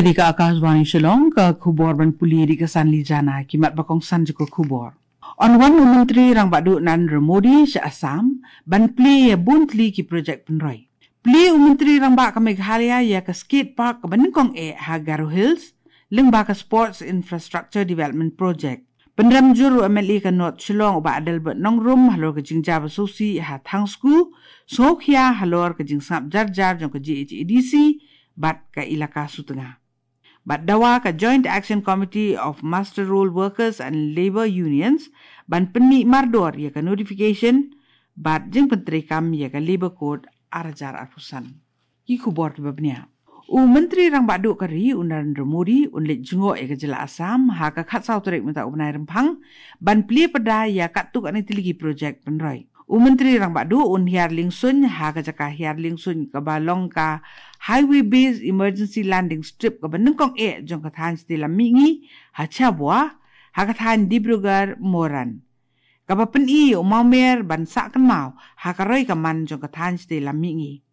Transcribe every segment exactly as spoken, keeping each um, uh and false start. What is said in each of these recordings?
Dei ka Akashvani Shillong, ka khubor ban pule dei ka Sanli Jana, ki mat ba kongsan jong ka khubor. Yn wan u Myntri Rangbah Duh Narendra Modi sha Assam ban plie ïa bun tylli ki projek pynroi. Plie u Myntri Rangbah ka Meghalaya ïa ka skate park kaba nyngkong eh ha Garo Hills lyngba ka Sports Infrastructure Development Project. Pynrem jur u M L A ka North Shillong u Bah Adelbert Nongrum halor ka jingjia ba sngewsih ha Thangsku, sngewkhia halor ka jingsngap jar jar jong ka G H A D C bad ka Elaka Sutnga. Bad dawa ka Joint Action Committee of Muster Roll Workers and Labour Unions ban pynmih mardor ïa ka notification bad jingpyntreikam ïa ka Labour Code ar hajar arphew san. Ki khubor kiba bniah. U Myntri Rangbah Duh ka ri u Narendra Modi un leit jngoh ïa ka jylla Assam ha ka khatsaw tarik mynta u bnai Rymphang ban plie pyrda ïa katto katne tylli ki projek pynroi. U Myntri Rangbah Duh un hiar liengsuiñ ha ka jaka hiar liengsuiñ kaba long ka Highway Based Emergency Landing Strip kaba nyngkong eh jong ka thaiñ shatei lam mihngi ha Chabua, ha ka thaiñ Dibrugarh Moran, kaba pyni ïa u mawmer ban sah kynmaw ha ka roi ka man jong ka thaiñ shatei lam mihngi.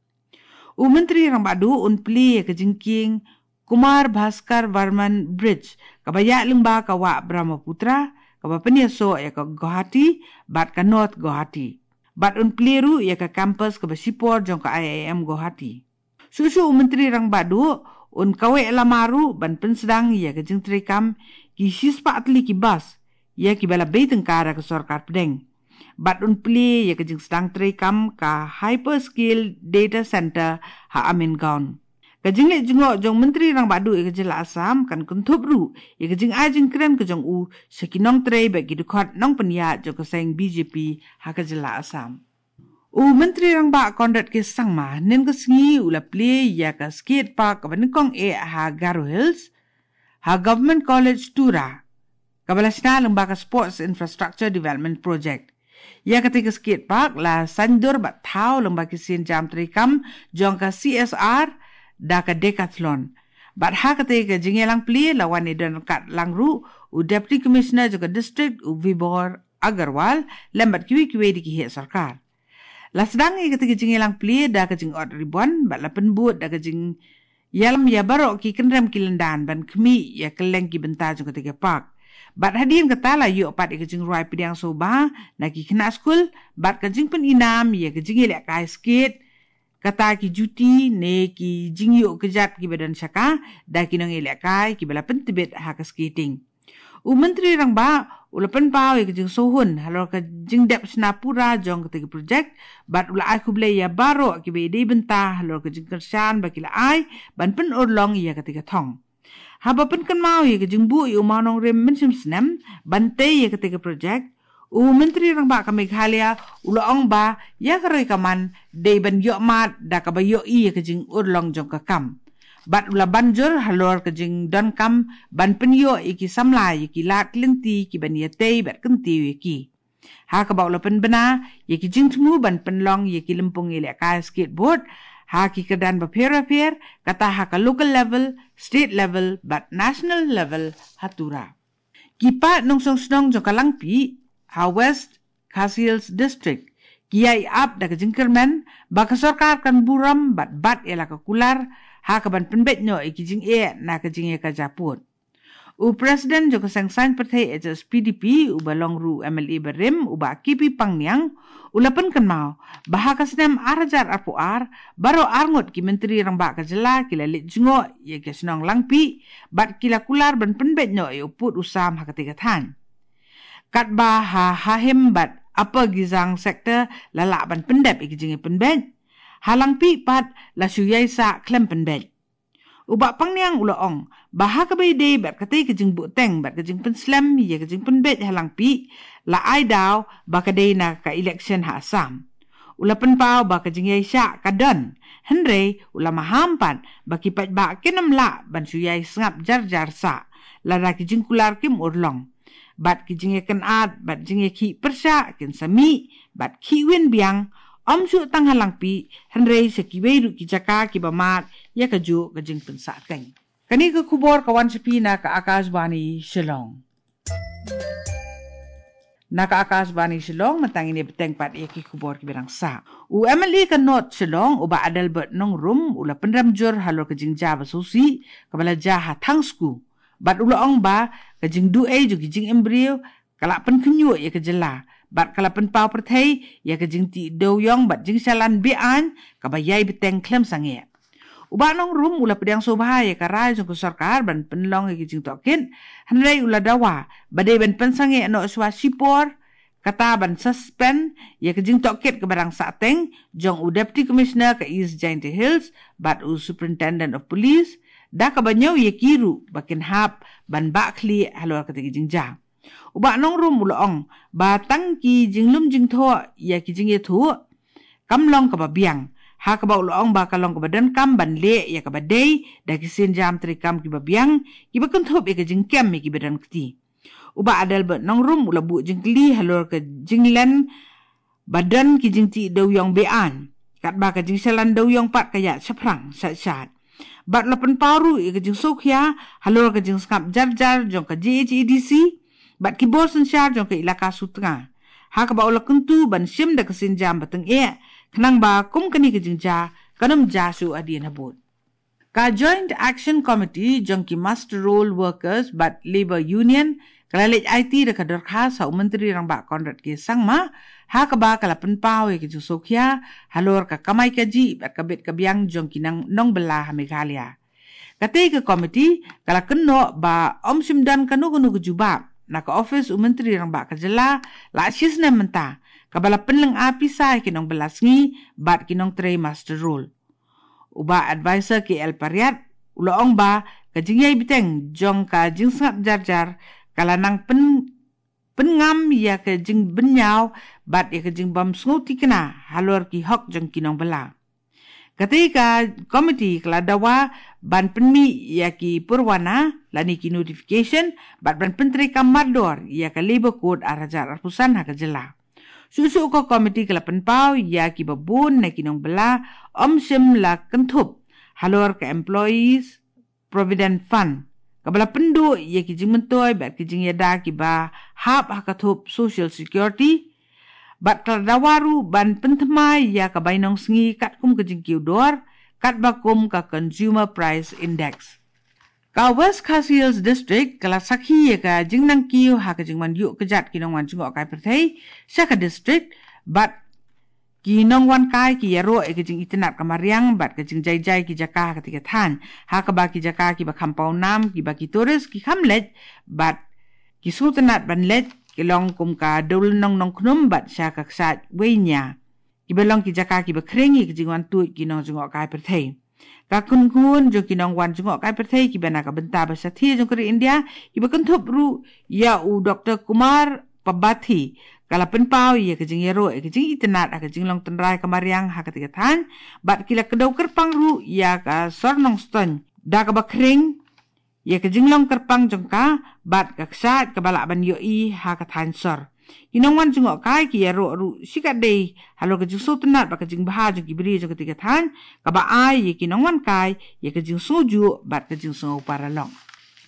U Myntri Rangbah Duh un plie ïa ka jingkieng Kumar Bhaskar Varman Bridge kaba ïaid lyngba ka wah Brahmaputra, kaba pynïasoh ïa ka Guwahati bad ka North Guwahati. Bad un plie ruh ïa ka campus kaba shipor jong ka I I M Guwahati. Shuh shuh u Myntri Rangbah Duh un kaweh lama ruh ban pynsdang ïa ka jingtreikam ki shispah tylli ki bus, ïa kiba la bei tyngka da ka sorkar pdeng. Bad un plie ïa ka jingsdang treikam ka Hyperscale Data Center ha Amingaon. Ka jingleit jngoh jong u Myntri Rangbah Duh ïa ka jylla Assam kan kynthup ruh ïa ka jingai jingkren ka jong u sha ki nongtrei bad ki dkhot nongpynïaid jong ka seng B J P ha ka jylla Assam. U Myntri Rangbah Conrad K Sangma hynnin ka sngi u la plie ïa ka skate park kaba nyngkong eh ha Garo Hills, ha Government College Tura, kaba la shna lyngba ka Sports Infrastructure Development Project. Ïa katei ka skate park la saiñdur bad thaw lyngba ki sienjam treikam jong ka C S R da ka Decathlon. Bad ha katei ka jingïalang plie la wan ïadon ryngkat lang ruh u Deputy Commissioner jong ka district u Vibhor Agarwal lem bad kiwei kiwei de ki heh sorkar. La sdang ïa katei ka jingïalang plie da ka jingot ribbon bad la pynbud da ka jingïalam ïa baroh ki kynrem ki lyndan ban khmih ïa kylleng ki bynta jong katei ka park. Bad hadien kata la ïoh pat ïa ka jingrwai pdiang sngewbha na ki khynnah skul bad ka jingpyni nam ïa ka jingïalehkai skate, kata ki juti ne ki jingïuh kjat kiba don shaka da ki nongïalehkai kiba la pyntbit ha ka skating. U Myntri Rangbah u la pynpaw ïa ka jingsngewhun halor ka jingdep shna pura jong katei ka projek bad u la ai khublei ïa baroh kiba ïadei bynta halor ka jingkyrshan ba ki la ai ban pynurlong ïa katei ka thong. Haba pynkynmaw ïa ka jingbuh ïa u mawnongrim mynshem snem ban tei ïa katei ka projek, u Myntri Rangbah ka Meghalaya u la ong ba ïa ka roi ka man dei ban ïoh mad da kaba ïohi ïa ka jingurlong jong ka kam. Bad u la ban jur halor ka jingdonkam ban pynïoh ïa ki samla ïa ki lad lynti kiban ïatei bad kyntiew ïa ki. Ha kaba u la pynbna ïa ki jingthmu ban pynlong ïa ki lympung ïalehkai skateboard ha ki kyrdan bapher bapher, kata ha ka local level, state level bad national level ha Tura. Ki paid nongshong shnong jong ka Langpih ha West Khasi Hills District ki ïai ap da ka jingkyrmen ba ka sorkar kan burom bad bat ïa la ka kular ha kaban pynbeit noh ïa ki jingeh na ka jingïakajia pud. U President jong ka Seng Saiñ Pyrthei H S P D P, uba long ruh M L A barim, u Bah K P Pangniang, u la pynkynmaw ba ha ka snem ar hajar arphew ar, baroh arngut ki Myntri Rangbah ka jylla ki la leit jngoh ïa ka shnong Langpih bad ki la kular ban pynbeit noh ïa u pud u sam ha katei ka thaiñ. Katba ha Hahim bad Upper Gizang sector la lah ban pyndep ïa ki jingïapynbeit, ha Langpih pat la shu ïai sah khlem pynbeit. U Bah Pangniang u la ong ba ha kaba ïadei bad katei ka jingbuhteng bad ka jingpynslem ïa ka jingpynbeit ha Langpih la ai daw ba ka dei na ka election ha Assam. U la pynpaw ba ka jingïaishah ka don, hynrei u la maham pat ba ki paidbah kin ym lah ban shu ïai sngap jar jar sah lada ki jingkular kim urlong. Bad ki jingïakynad bad jingïakhih pyrshah kin sa mih bad khih win biang, ym shuh tang ha Langpih, hynrei sha kiwei ruh ki jaka kiba mad ïa kajuh ka jingpynsah keiñ. Kane ka khubor ka wan sha phi na ka Akashvani Shillong. Na ka Akashvani Shillong, mynta ngin ïa bteng pat ïa ki khubor kiba dang sah. U M L A ka North Shillong, u Bah Adelbert Nongrum, u la pynrem jur halor ka jingjia ba sngewsih kaba la jia ha Thangsku. Bad u la ong ba ka jingduh ei jong ki jingim briew ka la pynkhynñiuh ïa ka jylla bad ka la pynpaw pyrthei ïa ka jingtih dewiong bad jingshalan be-aiñ kaba ïai bteng khlem sangeh. U Bah Nongrum u la pdiang sngewbha ïa ka rai jong ka sorkar ban pynlong ïa ki jingtohkit, hynrei u la dawa ba dei ban pynsangeh noh shuwa shipor, kata ban suspend ïa ka jingtohkit kaba dang sahteng jong u Deputy Commissioner ka East Jaintia Hills bad u Superintendent of Police, da kaba ñiew ïa ki ruh ba kin hap ban bah khlieh halor kata ka jingjia. U Bah Nongrum u la ong ba tang ki jinglum jingthoh ïa ki jingïathuh kam long kaba biang, ha kaba u la ong ba ka long kaba donkam ban leh ïa kaba dei da ki sienjam treikam kiba biang, kiba kynthup ïa ka jingkem ïa kiba donkti. U Bah Adelbert Nongrum u la buh jingkylli halor ka jinglen ba don ki jingtih dewiong be-aiñ, katba ka jingshalan dewiong pat ka ïaid shaphrang shat shat. Bad u la pynpaw ruh ïa ka jingsngewkhia halor ka jingsngap jar jar jong ka J H A D C bad ki bor synshar jong ka Elaka Sutnga, ha kaba u la kyntu ban shim da ka sienjam ba tyngeh, khnang ba kum kane ka jingjia kan ym jia shuh hadien habud. Ka Joint Action Committee jong ki Muster Roll Workers bad Labour Union ka la leit aiti da ka dorkhas ha u Myntri Rangbah Conrad K Sangma, ha kaba ka la pynpaw ïa ka jingsngewkhia halor ka kamai kajih bad ka bit ka biang jong ki nang nongbylla ha Meghalaya. Katei ka komiti ka la kynnoh ba ym shym don kano kano ka jubab na ka ophis u Myntri Rangbah ka jylla la shisnem mynta, kaba la pynlynga pisa ïa ki nongbylla sngi bad ki nongtrei muster roll. U Bah Advisor K L Pariat u la ong ba ka jingïai bteng jong ka jingsngap jar jar ka la nang pyn, pynngam ïa ka jingbynñiaw bad ïa ka jingbym sngewthikna halor ki hok jong ki nongbylla. Katei ka komiti ka la dawa ban pynmih ïa ki pyrwana lane ki notification bad ban pyntreikam mardor ïa ka Labour Code ar hajar arphew san ha ka jylla. Shuh shuh ka komiti ka la pynpaw ïa kiba bun na ki nongbylla ym shym la kynthup halor ka Employees Provident Fund, kaba la pynduh ïa ki jingmyntoi bad ki jingïada kiba hap ha ka thup Social Security, bad ka la dawa ruh ban pynthymmai ïa ka bainong sngi katkum ka jingkiew dor, katba kum ka Consumer Price Index. Ka West Khasi Hills District ka la sakhi ïa ka jingnang kiew ha ka jingwan ïuh kjat ki nongwan jngohkai pyrthei sha ka district, bad ki nongwan kai ki ïaroh ïa ka jingitynnad ka mariang bad ka jingjai jai ki jaka ha katei ka thaiñ, ha kaba ki jaka kiba kham pawnam kiba ki tourist ki kham leit bad ki sngewtynnad ban leit ki long kum ka Dewlynnong Nongkhnum bad sha ka kshaid Weinia, kiba long ki jaka kiba khring ïa ka jingwan tuid ki nongjngohkai pyrthei. Ka kynhun jong ki nongwan jngohkai pyrthei kiba na ka bynta ba shathie jong ka ri India, kiba kynthup ruh ïa u Doktor Kumar Pabathi, ka la pynpaw ïa ka jingïaroh ïa ka jingitynnad ha ka jinglong tynrai ka mariang ha katei ka thaiñ, bad ki la kdew kyrpang ruh ïa ka Sor Nongstoiñ da kaba khring ïa ka jinglong kyrpang jong ka bad ka kshaid kaba lah ban ïohi ha ka thaiñ sor. Ki nongwan jngohkai ki ïaroh ruh shikatdei halor ka jingsngewtynnad bad ka jingbha jong ki briew jong katei ka thaiñ, kaba ai ïa ki nongwan kai ïa ka jingsngewjuh bad ka jingsngew paralok.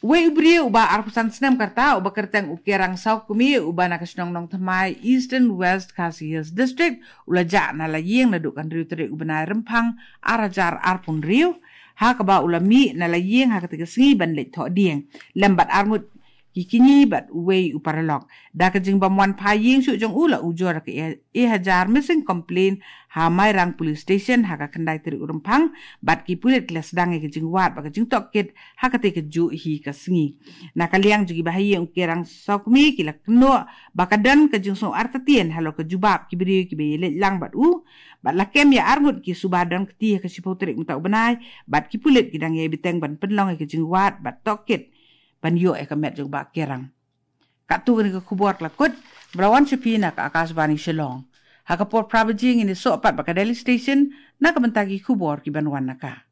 Uwei u briew uba arphew san snem ka rta uba kyrteng u Kerang Sawkmie uba na ka shnong Nongthymmai, Eastern West Khasi Hills District, u la jah na la ïing naduh ka hynriew tarik u bnai Rymphang ar hajar arphew hynriew, ha kaba u la mih na la ïing ha katei ka sngi ban leit thoh dieng lem bad arngut ki kñi bad uwei u paralok. Da ka jingbym wan phai ïing shuh jong u la ujor da ka e, e hajar missing complaint ha Mairang Police Station ha ka khyndai tarik u Rymphang, bad ki pulit ki la sdang ïa ka jingwad bad ka jingtohkit ha katei kajuh hi ka sngi. Na ka liang jong kiba ha ïing u Kerang Sawkmie ki la kynnoh ba ka don ka jingsngew artatien halor ka jubab ki briew kiba ïaleit lang bad u, bad la kem ïa arngut ki suba don kti ha ka shiphew tarik mynta u bnai, bad ki pulit ki dang ïai bteng ban pynlong ïa ka jingwad bad tohkit ban ïoh ïa ka met jong u Bah Kerang. Katto kane ka khubor ka la kut, ba la wan sha phi na ka Akashvani Shillong. Ha ka por phra baje ngin ïasoh pat bad ka Delhi Station na ka bynta ki khubor kiban wan na ka.